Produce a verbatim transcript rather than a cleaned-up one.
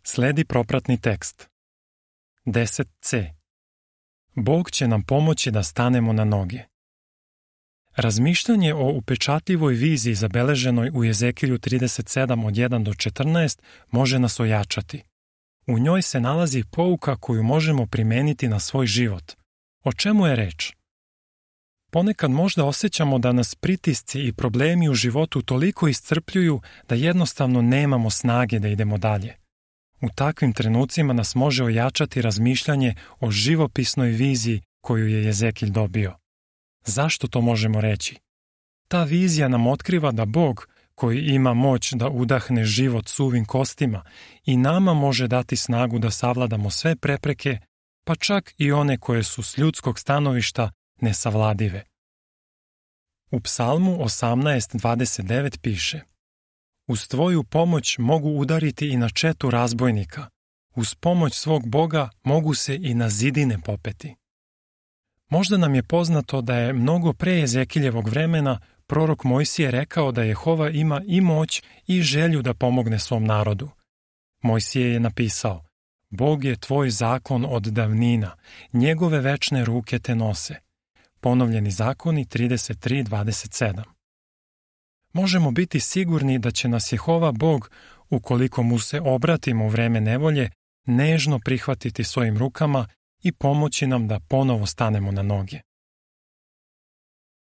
Sledi propratni tekst. deset ce. Bog će nam pomoći da stanemo na noge. Razmišljanje o upečatljivoj viziji zabeleženoj u Jezekilju trideset sedam od jedan do četrnaest može nas ojačati. U njoj se nalazi pouka koju možemo primeniti na svoj život. O čemu je reč? Ponekad možda osjećamo da nas pritisci i problemi u životu toliko iscrpljuju da jednostavno nemamo snage da idemo dalje. U takvim trenucima nas može ojačati razmišljanje o živopisnoj viziji koju je Jezekilj dobio. Zašto to možemo reći? Ta vizija nam otkriva da Bog, koji ima moć da udahne život suvim kostima, i nama može dati snagu da savladamo sve prepreke, pa čak i one koje su s ljudskog stanovišta nesavladive. U Psalmu osamnaest dvadeset devet piše: Uz tvoju pomoć mogu udariti i na četu razbojnika, uz pomoć svog Boga mogu se i na zidine popeti. Možda nam je poznato da je mnogo pre Jezekiljevog vremena prorok Mojsije rekao da Jehova ima i moć i želju da pomogne svom narodu. Mojsije je napisao: Bog je tvoj zakon od davnina, njegove večne ruke te nose. Ponovljeni zakoni trideset tri dvadeset sedam. Možemo biti sigurni da će nas Jehova Bog, ukoliko mu se obratimo u vreme nevolje, nežno prihvatiti svojim rukama i pomoći nam da ponovo stanemo na noge.